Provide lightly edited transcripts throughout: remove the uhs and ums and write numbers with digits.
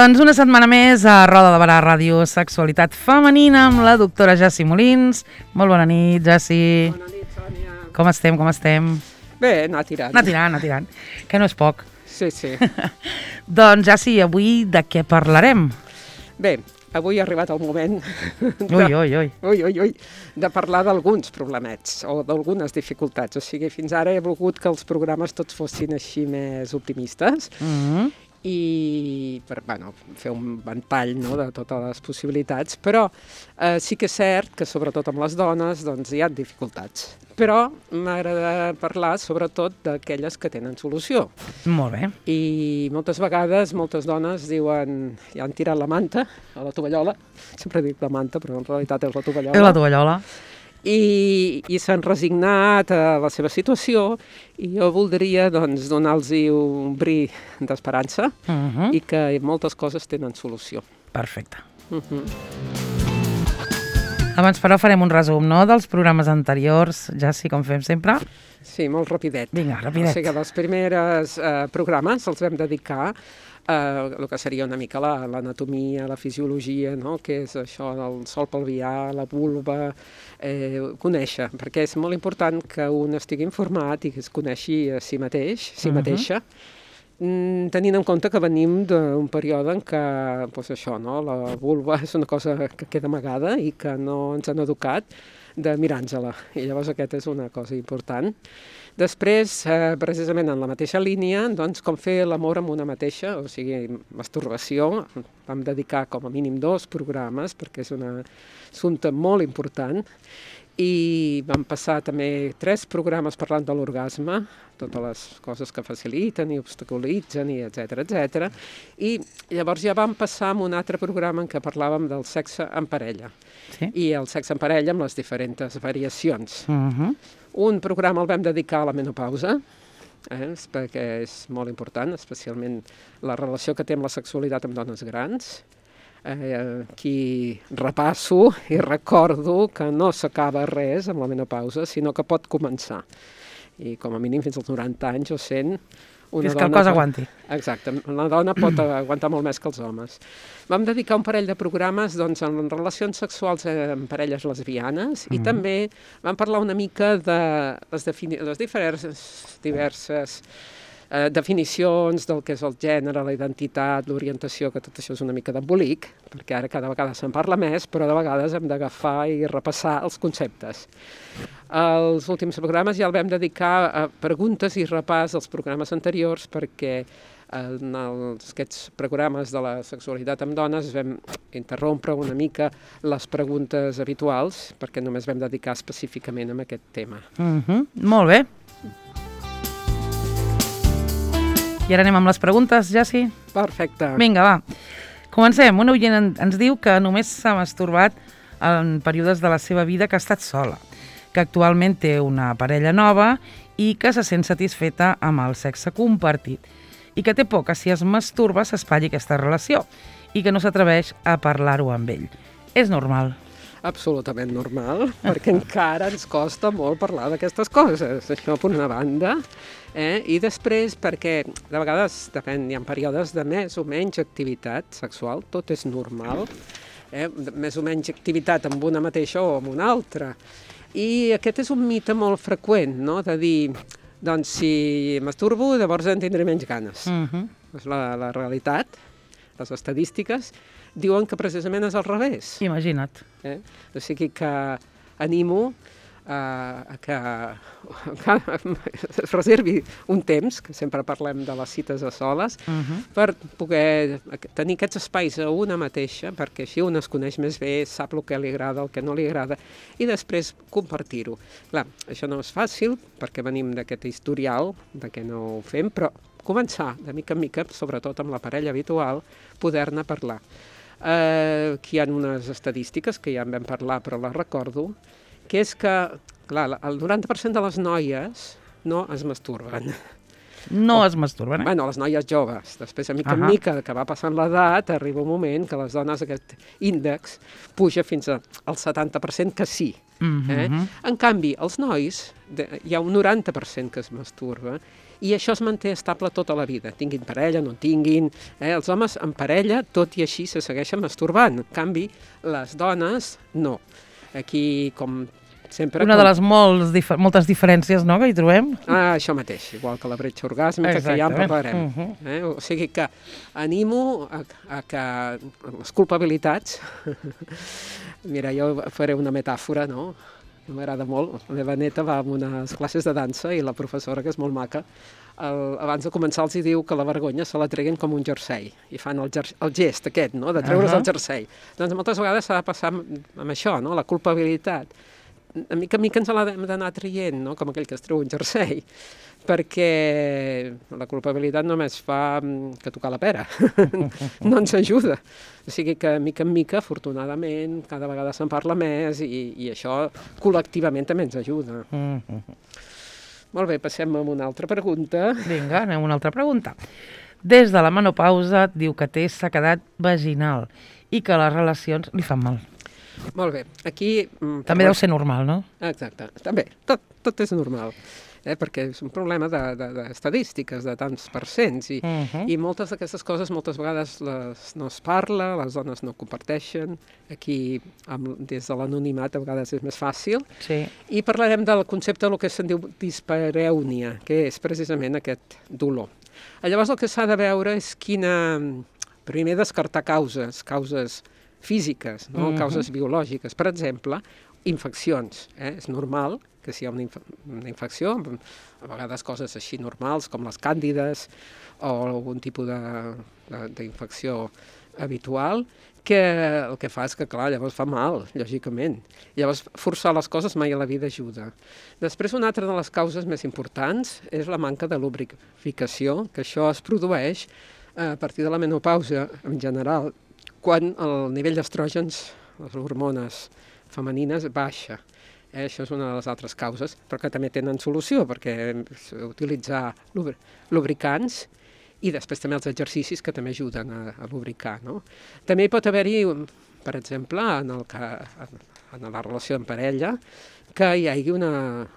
Doncs una setmana més a Roda de Barà Ràdio Sexualitat Femenina amb la doctora Jessi Molins. Molt bona nit, Jessi. Bona nit, Sònia. Com estem? Bé, anar tirant. Anar tirant, que no és poc. Sí. Doncs, Jessi, avui de què parlarem? Bé, avui ha arribat el moment Ui. de parlar d'alguns problemets o d'algunes dificultats. O sigui, fins ara he volgut que els programes tots fossin així més optimistes i per fer un ventall, no, de totes les possibilitats, però sí que és cert que sobretot amb les dones doncs, hi ha dificultats. Però m'agrada parlar sobretot d'aquelles que tenen solució. Molt bé. I moltes vegades moltes dones diuen, ja han tirat la manta a la tovallola, sempre dic la manta però en realitat és la tovallola. És la tovallola. I s'han resignat a la seva situació i jo voldria doncs, donar-los un bri d'esperança i que moltes coses tenen solució. Perfecte. Abans, però, farem un resum, no?, dels programes anteriors, Jessi, com fem sempre. Sí, molt rapidet. Vinga, rapidet. O sigui, els primers programes els vam dedicar el que seria una mica l'anatomia, la fisiologia, no? Què és això del sòl pelvià, la vulva, conèixer, perquè és molt important que un estigui informat i que es coneixi a si mateix, si mateixa, tenint en compte que venim d'un període en què doncs això, no? La vulva és una cosa que queda amagada i que no ens han educat de mirar-nos-la, i llavors aquesta és una cosa important. Després, precisament en la mateixa línia, doncs, com fer l'amor amb una mateixa, o sigui, masturbació, vam dedicar com a mínim 2 programes, perquè és un assumpte molt important, i vam passar també 3 programes parlant de l'orgasme, totes les coses que faciliten i obstaculitzen, i etcètera. I llavors ja vam passar a un altre programa en què parlàvem del sexe en parella. Sí. I el sexe en parella amb les diferents variacions. Un programa el vam dedicar a la menopausa, perquè és molt important, especialment la relació que té amb la sexualitat amb dones grans. Aquí repasso i recordo que no s'acaba res amb la menopausa, sinó que pot començar. I com a mínim fins als 90 anys o 100... Fins que el cos aguanti. Exacte, una dona pot aguantar molt més que els homes. Vam dedicar un parell de programes doncs, en relacions sexuals amb parelles lesbianes i també vam parlar una mica de les diverses definicions del que és el gènere, la identitat, l'orientació, que tot això és una mica d'embolic, perquè ara cada vegada se'n parla més, però de vegades hem d'agafar i repassar els conceptes. Els últims programes ja el vam dedicar a preguntes i repàs dels programes anteriors, perquè en aquests programes de la sexualitat amb dones vam interrompre una mica les preguntes habituals, perquè només vam dedicar específicament a aquest tema. Molt bé. I ara anem amb les preguntes, Jessi? Perfecte. Vinga, va. Comencem. Un oient ens diu que només s'ha masturbat en períodes de la seva vida que ha estat sola, que actualment té una parella nova i que se sent satisfeta amb el sexe compartit i que té por que si es masturba s'espatlli aquesta relació i que no s'atreveix a parlar-ho amb ell. És normal? Absolutament normal, perquè encara ens costa molt parlar d'aquestes coses, això per una banda, i després perquè de vegades depèn, hi ha períodes de més o menys activitat sexual, tot és normal, més o menys activitat amb una mateixa o amb una altra, i aquest és un mite molt freqüent, no?, de dir, doncs si masturbo llavors en tindré menys ganes. És la realitat, les estadístiques diuen que precisament és al revés. Imagina't. O sigui que animo que es reservi un temps, que sempre parlem de les cites a soles, per poder tenir aquests espais a una mateixa, perquè així una es coneix més bé, sap el que li agrada, el que no li agrada, i després compartir-ho. Clar, això no és fàcil, perquè venim d'aquest historial, de que no ho fem, però començar de mica en mica, sobretot amb la parella habitual, poder-ne parlar. Aquí hi ha unes estadístiques que ja en vam parlar, però les recordo, que és que, clar, el 90% de les noies no es masturben. No es masturben, Bueno, les noies joves. Després, a mica en mica, que va passant l'edat, arriba un moment que les dones, aquest índex, puja fins al 70% que sí. En canvi, els nois, hi ha un 90% que es masturba I això es manté estable tota la vida, tinguin parella, no en tinguin. Els homes en parella, tot i així, se segueixen masturbant. En canvi, les dones, no. Aquí, com sempre... Una de les moltes diferències, no?, que hi trobem. Això mateix, igual que la bretxa orgàsmica, que ja en parlarem. O sigui que animo a que les culpabilitats... Mira, jo faré una metàfora, no?, m'agrada molt. La meva neta va a unes classes de dansa i la professora, que és molt maca, abans de començar els diu que la vergonya se la treguin com un jersei i fan el gest aquest, no?, de treure's el jersei. Doncs moltes vegades s'ha de passar amb això, no?, la culpabilitat. A mica en mica ens l'hem d'anar traient, no?, com aquell que es treu un jersei, perquè la culpabilitat només fa que tocar la pera, no ens ajuda. O sigui que, mica en mica, afortunadament, cada vegada se'n parla més i això col·lectivament també ens ajuda. Molt bé, passem a una altra pregunta. Vinga, anem a una altra pregunta. Des de la menopausa diu que té sequedat vaginal i que les relacions li fan mal. Molt bé, aquí... També deu ser normal, no? Exacte, també, tot és normal. Perquè és un problema d'estadístiques, de tants percents, i moltes d'aquestes coses moltes vegades no es parla, les dones no comparteixen, aquí des de l'anonimat a vegades és més fàcil, i parlarem del concepte del que se'n diu disparèunia, que és precisament aquest dolor. Llavors el que s'ha de veure és primer descartar causes físiques, no? Causes biològiques, per exemple, infeccions. És normal que si hi ha una infecció, a vegades coses així normals com les càndides o algun tipus d'infecció habitual, que el que fa és que, clar, llavors fa mal, lògicament. Llavors, forçar les coses mai a la vida ajuda. Després, una altra de les causes més importants és la manca de lubrificació, que això es produeix a partir de la menopausa en general, quan el nivell d'estrògens, les hormones femenines, baixa. Això és una de les altres causes, però que també tenen solució, perquè utilitzar lubricants i després també els exercicis que també ajuden a lubricar, no? També hi pot haver-hi, per exemple, en la relació en parella, que hi hagi una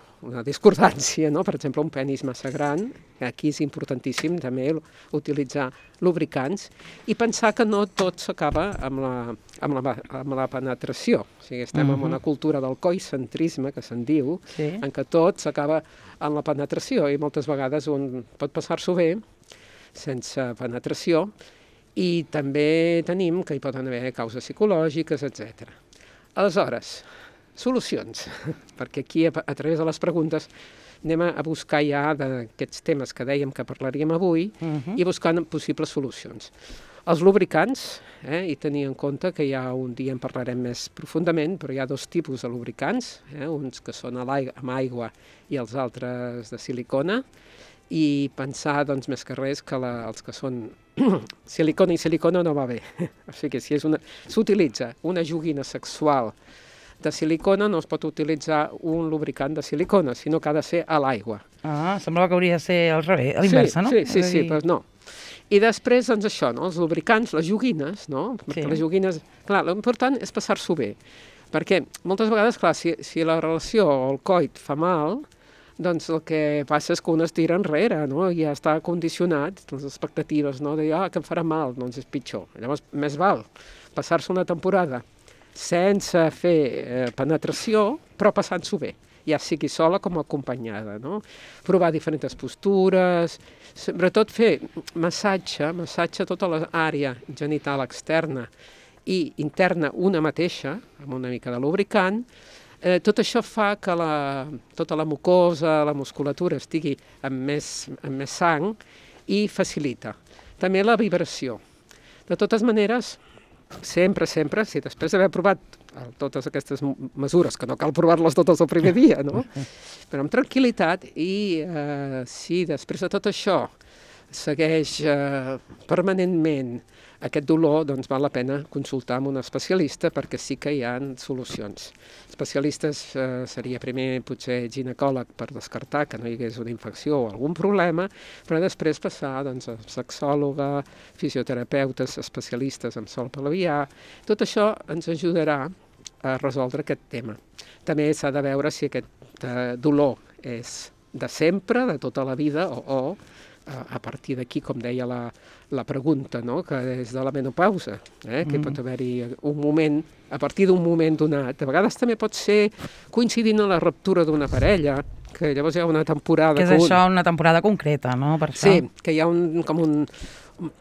discordància, no? Per exemple, un penis massa gran, aquí és importantíssim també utilitzar lubricants i pensar que no tot s'acaba amb la penetració. O sigui, estem en una cultura del coicentrisme, que se'n diu, en què tot s'acaba en la penetració i moltes vegades un pot passar-s'ho bé sense penetració i també tenim que hi poden haver causes psicològiques, etc. Aleshores, solucions, perquè aquí a través de les preguntes anem a buscar ja d'aquests temes que dèiem que parlaríem avui i buscant possibles solucions. Els lubricants, i tenir en compte que un dia en parlarem més profundament, però hi ha dos tipus de lubricants, uns que són amb aigua i els altres de silicona, i pensar, doncs, més que res, que els que són silicona i silicona no va bé. O sigui, si s'utilitza una joguina sexual de silicona, no es pot utilitzar un lubricant de silicona, sinó que ha de ser a l'aigua. Semblava que hauria de ser al revés, a l'inversa, no? Sí, però no. I després, doncs això, no? Els lubricants, les joguines, no? Perquè les joguines... Clar, l'important és passar-s'ho bé, perquè moltes vegades, clar, si la relació o el coit fa mal, doncs el que passa és que un es tira enrere, no? I ja està condicionat, les expectatives, no? De que em farà mal, doncs és pitjor. Llavors, més val passar-se una temporada sense fer penetració, però passant-s'ho bé, ja sigui sola com acompanyada, no? Provar diferents postures, sobretot fer massatge tota l'àrea genital externa i interna una mateixa, amb una mica de lubricant. Tot això fa que tota la mucosa, la musculatura estigui amb més sang i facilita. També la vibració. De totes maneres, sempre, si després d'haver provat totes aquestes mesures, que no cal provar-les totes el primer dia, no? Però amb tranquil·litat i si després de tot això segueix permanentment aquest dolor, doncs val la pena consultar amb un especialista perquè sí que hi ha solucions. Especialistes seria primer potser ginecòleg per descartar que no hi hagués una infecció o algun problema, però després passar doncs, a sexòloga, fisioterapeutes, especialistes en sol pelvià. Tot això ens ajudarà a resoldre aquest tema. També s'ha de veure si aquest dolor és de sempre, de tota la vida, o a partir d'aquí, com deia la pregunta, no? Que és de la menopausa, que pot haver-hi un moment, a partir d'un moment donat. A vegades també pot ser coincidint amb la ruptura d'una parella, que llavors hi ha una temporada... Que és això, una temporada concreta, no? Per això. Sí, que hi ha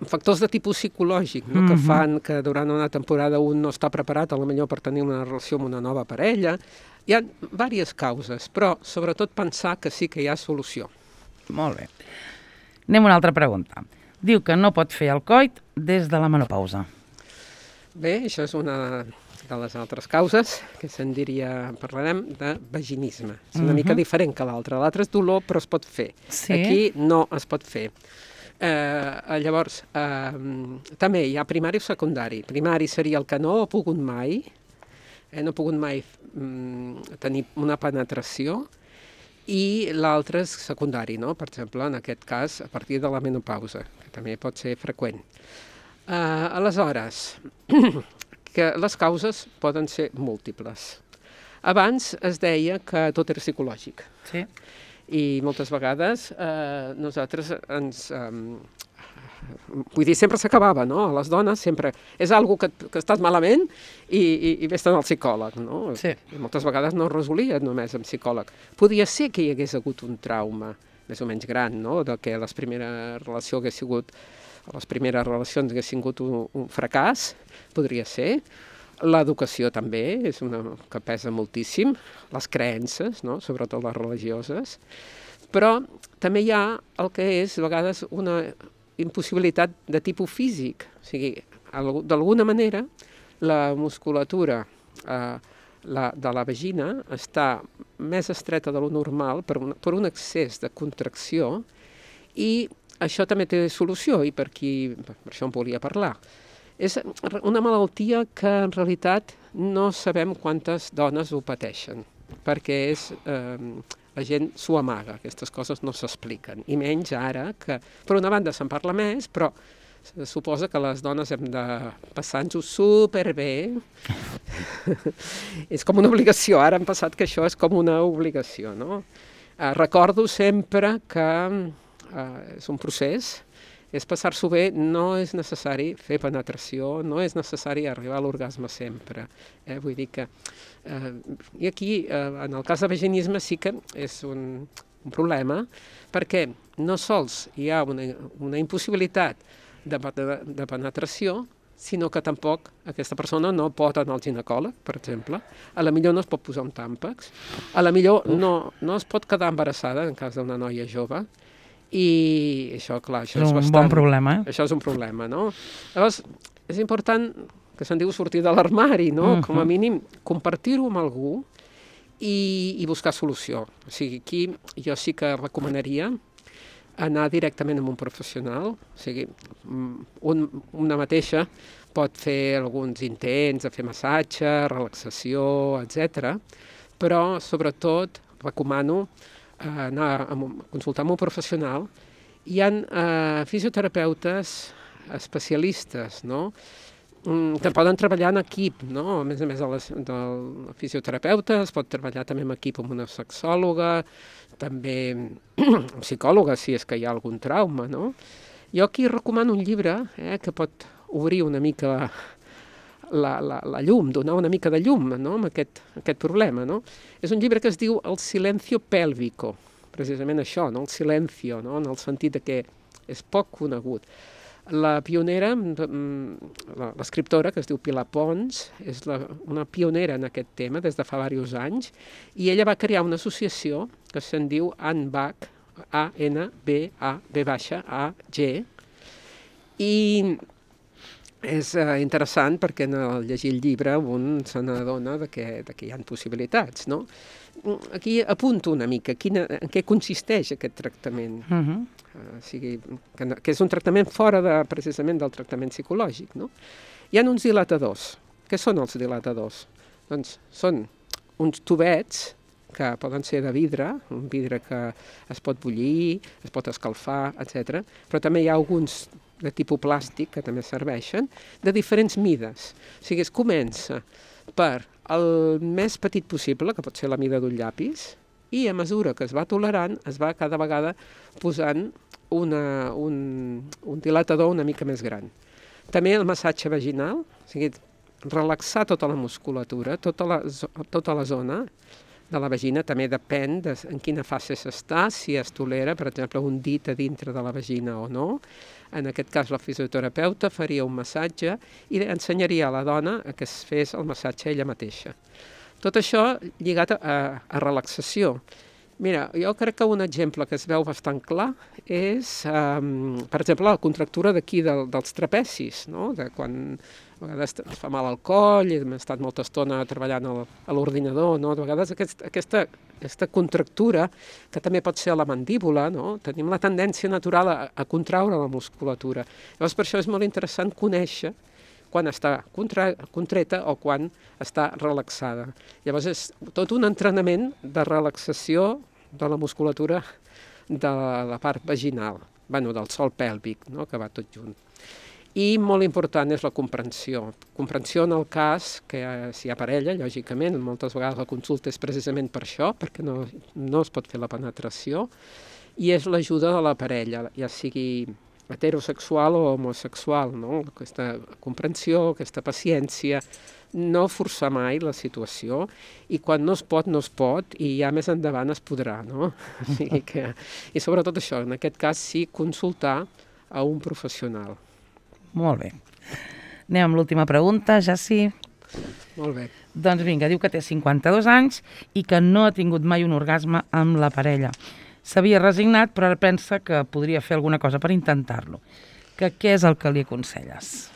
factors de tipus psicològic, no? Que fan que durant una temporada un no està preparat, potser per tenir una relació amb una nova parella. Hi ha diverses causes, però sobretot pensar que sí que hi ha solució. Molt bé. Anem a una altra pregunta. Diu que no pot fer el coit des de la menopausa. Bé, això és una de les altres causes, que se'n diria, parlarem de vaginisme. És una mica diferent que l'altra. L'altre és dolor, però es pot fer. Sí. Aquí no es pot fer. Llavors, també hi ha primari o secundari. Primari seria el que no ha pogut mai, no ha pogut mai tenir una penetració, i l'altre és secundari, no? Per exemple, en aquest cas, a partir de la menopausa, que també pot ser freqüent. Aleshores, que les causes poden ser múltiples. Abans es deia que tot era psicològic. Sí. I moltes vegades nosaltres ens... vull dir, sempre s'acabava, no? A les dones sempre... És algo que estàs malament i vés-te'n al psicòleg, no? Sí. I moltes vegades no es resolia només amb psicòleg. Podia ser que hi hagués hagut un trauma més o menys gran, no? De que les primeres relacions haguessin sigut un fracàs, podria ser. L'educació també és una que pesa moltíssim, les creences, no? Sobretot les religioses, però també hi ha el que és a vegades una impossibilitat de tipus físic, o sigui, d'alguna manera la musculatura de la vagina està més estreta de lo normal per un excés de contracció, i això també té solució, i per això en volia parlar. És una malaltia que en realitat no sabem quantes dones ho pateixen, perquè la gent s'ho amaga, aquestes coses no s'expliquen, i menys ara, que per una banda se'n parla més, però se suposa que les dones hem de passar-nos-ho superbé. És com una obligació, ara hem passat que això és com una obligació, no? Recordo sempre que és un procés, és passar-s'ho bé, no és necessari fer penetració, no és necessari arribar a l'orgasme sempre. Vull dir que... I aquí, en el cas de vaginisme, sí que és un problema, perquè no sols hi ha una impossibilitat de penetració, sinó que tampoc aquesta persona no pot anar al ginecòleg, per exemple. A la millor no es pot posar un tàmpax, a la millor no es pot quedar embarassada en cas d'una noia jove, i això, clar, això és bastant... És un bon problema, Això és un problema, no? Llavors, és important, que se'n diu sortir de l'armari, no? Com a mínim, compartir-ho amb algú i buscar solució. O sigui, aquí jo sí que recomanaria anar directament amb un professional, o sigui, una mateixa pot fer alguns intents de fer massatge, relaxació, etc. Però, sobretot, recomano anar a consultar amb un professional. Hi ha fisioterapeutes especialistes, no? Que poden treballar en equip, no? A més del fisioterapeuta, es pot treballar també en equip amb una sexòloga, també amb psicòloga, si és que hi ha algun trauma, no? Jo aquí recomano un llibre que pot obrir una mica la llum, donar una mica de llum, no? Amb aquest problema, no? És un llibre que es diu El silencio pélvico, precisament això, no? El silencio, no? En el sentit que és poc conegut. La pionera, l'escriptora, que es diu Pilar Pons, és una pionera en aquest tema des de fa diversos anys, i ella va crear una associació que se'n diu ANBAG, ANBAG, i és interessant perquè al llegir el llibre un se n'adona que hi ha possibilitats, no? Aquí apunto una mica en què consisteix aquest tractament. O sigui, que és un tractament fora precisament del tractament psicològic, no? Hi ha uns dilatadors. Què són els dilatadors? Doncs són uns tubets que poden ser de vidre, un vidre que es pot bullir, es pot escalfar, etc. Però també hi ha alguns de tipus plàstic, que també serveixen, de diferents mides. O sigui, es comença per el més petit possible, que pot ser la mida d'un llapis, I a mesura que es va tolerant, es va cada vegada posant un dilatador una mica més gran. També el massatge vaginal, o sigui, relaxar tota la musculatura, tota la zona de la vagina, també depèn en quina fase s'està, si es tolera, per exemple, un dit a dintre de la vagina o no. En aquest cas, la fisioterapeuta faria un massatge i ensenyaria a la dona que es fes el massatge ella mateixa. Tot això lligat a relaxació. Mira, jo crec que un exemple que es veu bastant clar és, per exemple, la contractura d'aquí dels trapecis, no? De quan a vegades es fa mal al coll, hem estat molta estona treballant a l'ordinador, no? De vegades aquesta contractura, que també pot ser a la mandíbula, no? Tenim la tendència natural a contraure la musculatura. Llavors, per això és molt interessant conèixer quan està contreta o quan està relaxada. Llavors és tot un entrenament de relaxació de la musculatura de la part vaginal, del sòl pèlvic, no? Que va tot junt. I molt important és la comprensió. Comprensió en el cas que si hi ha parella, lògicament, moltes vegades la consulta és precisament per això, perquè no es pot fer la penetració, i és l'ajuda de la parella, ja sigui heterosexual o homosexual, no? Aquesta comprensió, aquesta paciència, no forçar mai la situació, i quan no es pot, i ja més endavant es podrà, no? O sigui i sobretot això, en aquest cas sí, consultar a un professional. Molt bé. Anem amb l'última pregunta, Jaci. Molt bé. Doncs vinga, diu que té 52 anys i que no ha tingut mai un orgasme amb la parella. S'havia resignat, però ara pensa que podria fer alguna cosa per intentar-lo. Què és el que li aconselles?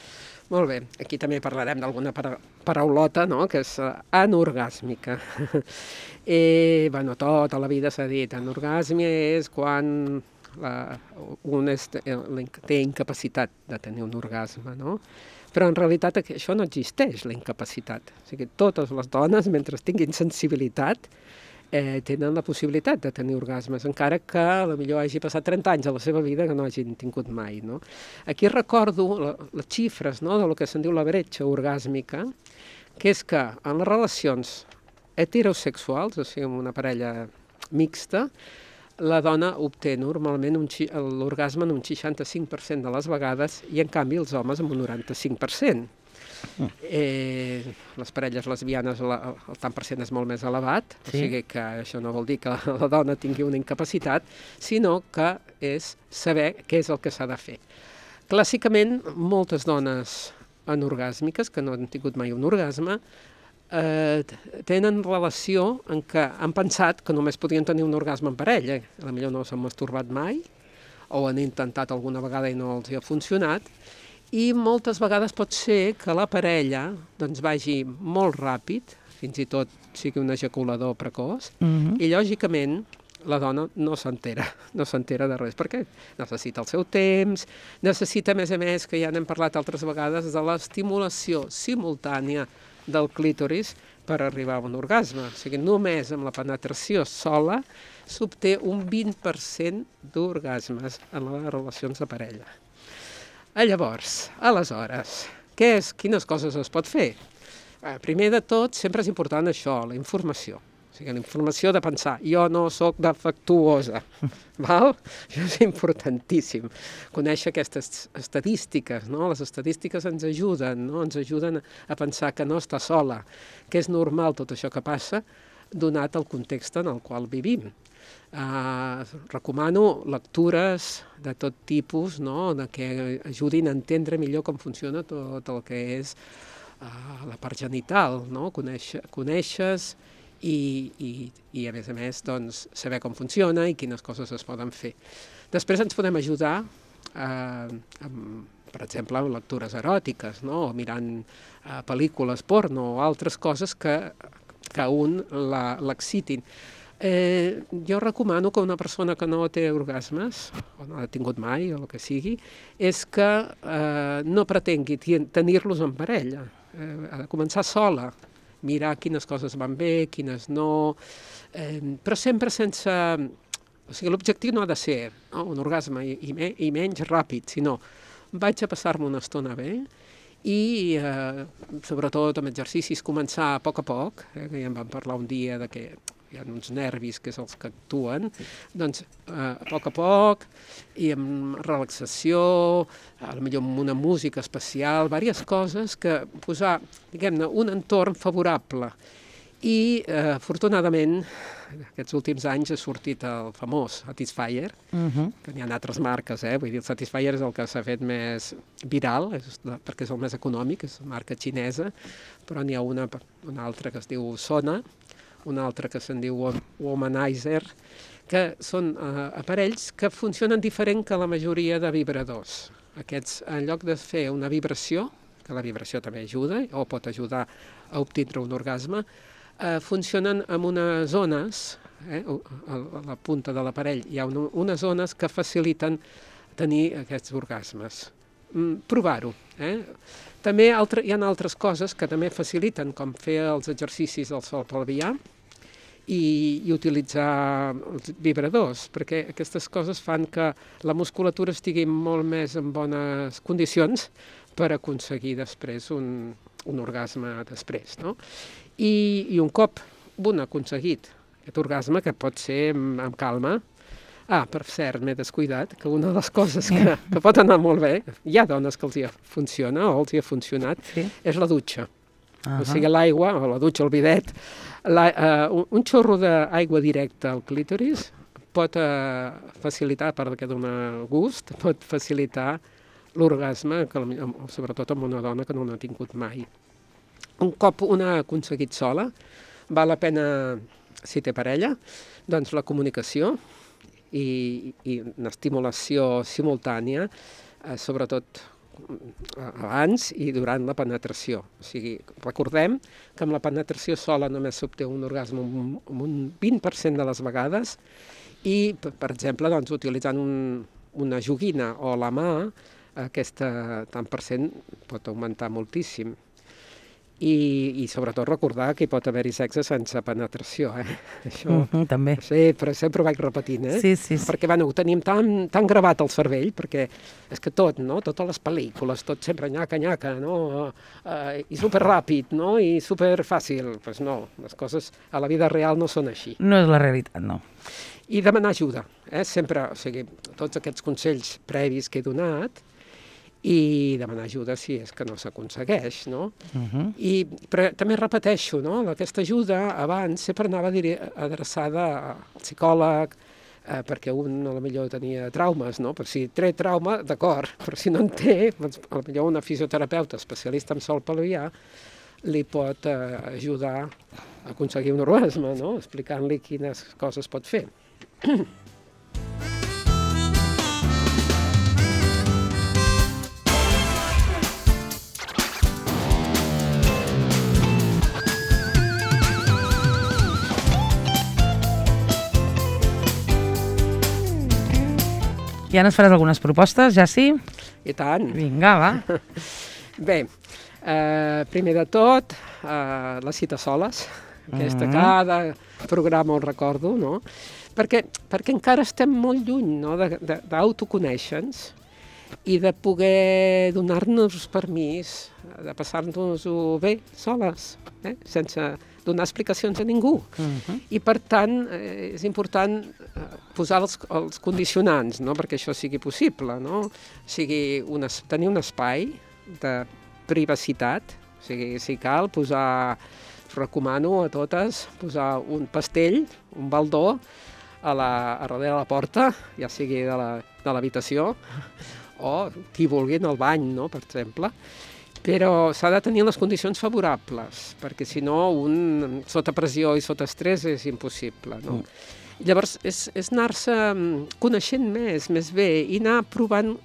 Molt bé, aquí també parlarem d'alguna paraulota, no?, que és anorgàsmica. Tota la vida s'ha dit, anorgàsmia és quan un té incapacitat de tenir un orgasme, no? Però en realitat això no existeix, la incapacitat. O sigui, totes les dones, mentre tinguin sensibilitat, tenen la possibilitat de tenir orgasmes, encara que potser hagi passat 30 anys a la seva vida que no hagin tingut mai, no? Aquí recordo les xifres, no?, del que se'n diu la bretxa orgàsmica, que és que en les relacions heterosexuals, o sigui, amb una parella mixta, la dona obté normalment l'orgasme en un 65% de les vegades i, en canvi, els homes en un 95%. Les parelles lesbianes el tant per cent és molt més elevat, o sigui que això no vol dir que la dona tingui una incapacitat, sinó que és saber què és el que s'ha de fer. Clàssicament, moltes dones anorgàsmiques, que no han tingut mai un orgasme, tenen relació en què han pensat que només podien tenir un orgasme en parella, potser no s'han masturbat mai, o han intentat alguna vegada i no els ha funcionat, i moltes vegades pot ser que la parella vagi molt ràpid, fins i tot sigui un ejaculador precoç, i lògicament la dona no s'entera de res, perquè necessita el seu temps, necessita, a més, que ja n'hem parlat altres vegades, de l'estimulació simultània del clítoris per arribar a un orgasme. O sigui, només amb la penetració sola s'obté un 20% d'orgasmes en les relacions de parella. Llavors, aleshores, quines coses es pot fer? Primer de tot, sempre és important això, la informació. O sigui, la informació de pensar, jo no sóc defectuosa, val? Això és importantíssim. Conèixer aquestes estadístiques, no? Les estadístiques ens ajuden, no? Ens ajuden a pensar que no està sola, que és normal tot això que passa, donat el context en el qual vivim. Recomano lectures de tot tipus, no?, que ajudin a entendre millor com funciona tot el que és la part genital, no? Conèixer i a més, doncs, saber com funciona i quines coses es poden fer. Després ens podem ajudar, per exemple, amb lectures eròtiques, no?, o mirant pel·lícules porno o altres coses que a un l'excitin. Jo recomano que una persona que no té orgasmes, o no ha tingut mai, o el que sigui, és que no pretengui tenir-los en parella. Ha de començar sola, mirar quines coses van bé, quines no, però sempre sense... O sigui, l'objectiu no ha de ser un orgasme i menys ràpid, sinó vaig a passar-me una estona bé i, sobretot amb exercicis, començar a poc, que ja en vam parlar un dia de que hi ha uns nervis que és els que actuen, doncs a poc i amb relaxació, potser amb una música especial, diverses coses que posar, diguem-ne, un entorn favorable. I, afortunadament, aquests últims anys ha sortit el famós Satisfyer, que n'hi ha altres marques, vull dir, el Satisfyer és el que s'ha fet més viral, perquè és el més econòmic, és una marca xinesa, però n'hi ha una altra que es diu Sona, una altra que se'n diu Womanizer, que són aparells que funcionen diferent que la majoria de vibradors. Aquests, en lloc de fer una vibració, que la vibració també ajuda, o pot ajudar a obtindre un orgasme, funcionen amb unes zones, a la punta de l'aparell hi ha unes zones que faciliten tenir aquests orgasmes. Provar-ho. També hi ha altres coses que també faciliten, com fer els exercicis del sol pelvià i utilitzar els vibradors, perquè aquestes coses fan que la musculatura estigui molt més en bones condicions per aconseguir després un orgasme després, no? I un cop un ha aconseguit aquest orgasme, que pot ser amb calma. Per cert, m'he descuidat, que una de les coses que pot anar molt bé, hi ha dones que els hi funciona o els hi ha funcionat, és la dutxa. O sigui, l'aigua, o la dutxa, el bidet, un xorro d'aigua directa al clítoris pot facilitar, a part que dona gust, pot facilitar l'orgasme, sobretot amb una dona que no n'ha tingut mai. Un cop una ha aconseguit sola, val la pena, si té parella, doncs la comunicació i una estimulació simultània, sobretot abans i durant la penetració. O sigui, recordem que amb la penetració sola només s'obté un orgasme un 20% de les vegades i, per exemple, doncs, utilitzant una joguina o la mà, aquest tant per cent pot augmentar moltíssim. I sobretot recordar que hi pot haver-hi sexe sense penetració, Això també. Sí, però sempre ho vaig repetint, Sí. Perquè, ho tenim tan gravat al cervell, perquè és que tot, no? Totes les pel·lícules, tot sempre nyaca, no? I superràpid, no? I superfàcil. Doncs no, les coses a la vida real no són així. No és la realitat, no. I demanar ajuda, sempre, o sigui, tots aquests consells previs que he donat, i demanar ajuda si és que no s'aconsegueix, no? Però també repeteixo, no? Aquesta ajuda abans sempre anava adreçada al psicòleg, perquè un potser tenia traumes, no? Però si té trauma, d'acord, però si no en té, doncs, potser una fisioterapeuta especialista en sol pelvià li pot ajudar a aconseguir un orgasme, no? Explicant-li quines coses pot fer. Ja ens faràs algunes propostes, ja sí? I tant. Vinga, va. Bé, primer de tot, la cita soles, aquesta cada programa ho recordo, no? Perquè encara estem molt lluny, no? D'autoconèixer-nos i de poder donar-nos permís de passar-nos-ho bé soles, sense donar explicacions a ningú. I, per tant, és important posar els condicionants, no? Perquè això sigui possible, no? O sigui, tenir un espai de privacitat, o sigui, si cal, recomano a totes posar un pastell, un baldó, a darrere de la porta, ja sigui de l'habitació, o qui vulgui en el bany, no?, per exemple. Però s'ha de tenir les condicions favorables, perquè si no, sota pressió i sota estrès és impossible, no? Llavors, és anar-se coneixent més bé i anar provant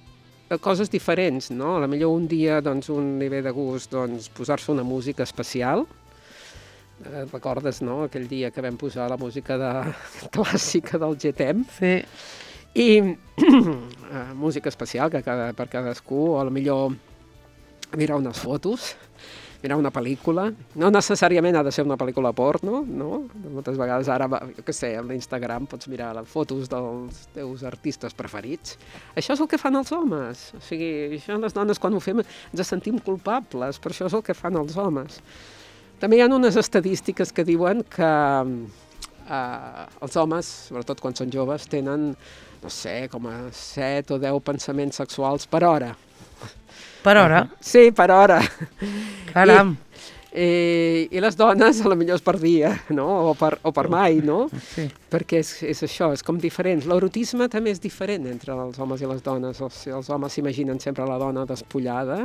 coses diferents, no? A potser un dia, doncs, un li ve de gust, doncs, posar-se una música especial. Recordes, no?, aquell dia que vam posar la música clàssica del GTM? Sí. I música especial per cadascú, o potser mirar unes fotos, mirar una pel·lícula. No necessàriament ha de ser una pel·lícula porno, no? Moltes vegades ara, jo què sé, a l'Instagram pots mirar les fotos dels teus artistes preferits. Això és el que fan els homes. O sigui, això les dones quan ho fem ens sentim culpables, però això és el que fan els homes. També hi ha unes estadístiques que diuen que els homes, sobretot quan són joves, tenen, no sé, com a 7 o 10 pensaments sexuals per hora. Per hora? Sí, per hora. Caram! I les dones, potser és per dia, no? O per mai, no? Sí. Perquè és això, és com diferent. L'erotisme també és diferent entre els homes i les dones. Els homes s'imaginen sempre la dona despullada,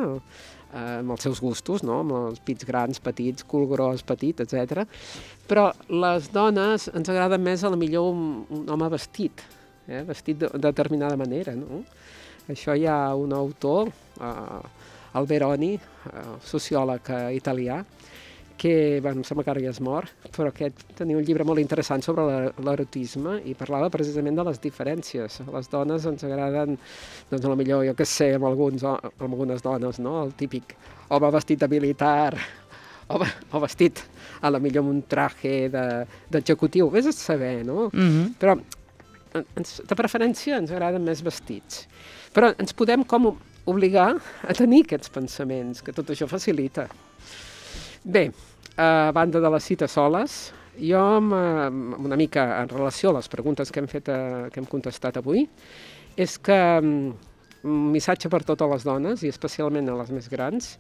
amb els seus gustos, no? Amb els pits grans, petits, cul gros, petit, etc. Però les dones ens agrada més potser un home vestit, vestit de determinada manera, no? Això hi ha un autor, Alberoni, sociòleg italià, que, em sembla que ara ja és mort, però que tenia un llibre molt interessant sobre l'erotisme i parlava precisament de les diferències. A les dones ens agraden, doncs potser, jo què sé, amb algunes dones, no? El típic home vestit de militar, o vestit potser amb un traje d'executiu, vés a saber, no? Però de preferència ens agraden més vestits. Però ens podem com obligar a tenir aquests pensaments, que tot això facilita. Bé, a banda de les cites soles, jo una mica en relació a les preguntes que hem contestat avui, és que un missatge per totes les dones, i especialment a les més grans,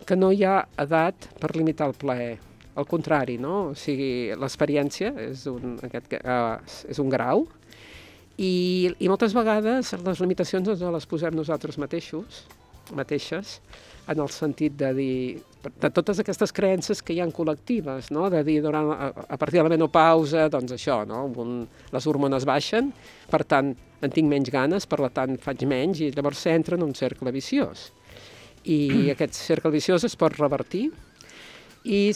que no hi ha edat per limitar el plaer. Al contrari, no? O sigui, l'experiència és un grau, i moltes vegades les limitacions ens les posem nosaltres mateixes, en el sentit de dir, de totes aquestes creences que hi ha col·lectives, no? De dir, a partir de la menopausa, doncs això, no? Les hormones baixen, per tant, en tinc menys ganes, per tant, faig menys, i llavors s'entra en un cercle viciós. I aquest cercle viciós es pot revertir, i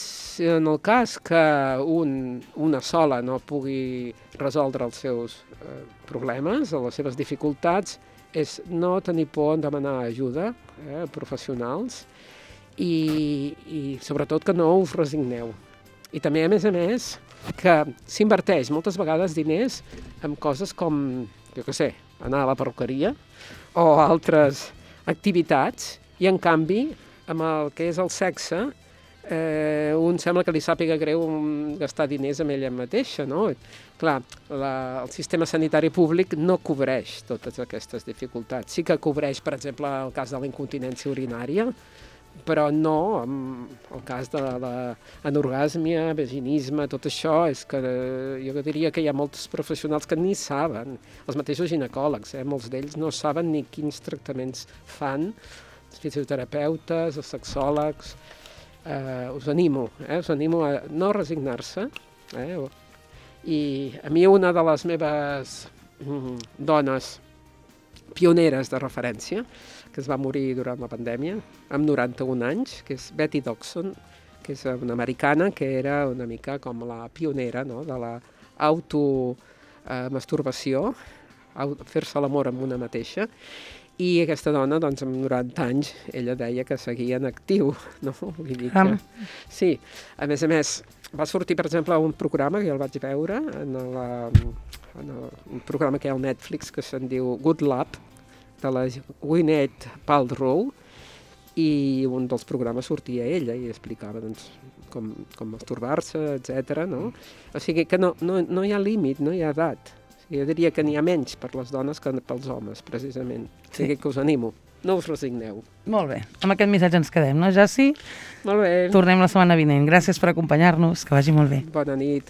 en el cas que una sola no pugui resoldre els seus problemes o les seves dificultats, és no tenir por en demanar ajuda a professionals i sobretot que no us resigneu. I també, a més, que s'inverteix moltes vegades diners en coses com, jo què sé, anar a la perruqueria o altres activitats, i en canvi, amb el que és el sexe, un sembla que li sàpiga greu gastar diners amb ella mateixa, no? Clar, el sistema sanitari públic no cobreix totes aquestes dificultats. Sí que cobreix, per exemple, el cas de la incontinència urinària, però no el cas de l'anorgàsmia, vaginisme, tot això, és que jo diria que hi ha molts professionals que ni saben, els mateixos ginecòlegs, molts d'ells no saben ni quins tractaments fan, els fisioterapeutes, els sexòlegs. Us animo a no resignar-se, i a mi una de les meves dones pioneres de referència, que es va morir durant la pandèmia, amb 91 anys, que és Betty Dodson, que és una americana que era una mica com la pionera, no?, de l'automasturbació, fer-se l'amor amb una mateixa. I aquesta dona, doncs, amb 90 anys, ella deia que seguia en actiu, no? Vull dir que... Sí, a més, va sortir, per exemple, un programa que jo el vaig veure, un programa que hi ha al Netflix que se'n diu Good Love, de la Gwyneth Paltrow, i un dels programes sortia ella i explicava, doncs, com masturbar-se, etc. No? O sigui que no hi ha límit, no hi ha edat. Jo diria que n'hi ha menys per les dones que pels homes, precisament. O sigui que us animo, no us resigneu. Molt bé, amb aquest missatge ens quedem, no, Jaci? Molt bé. Tornem la setmana vinent. Gràcies per acompanyar-nos, que vagi molt bé. Bona nit.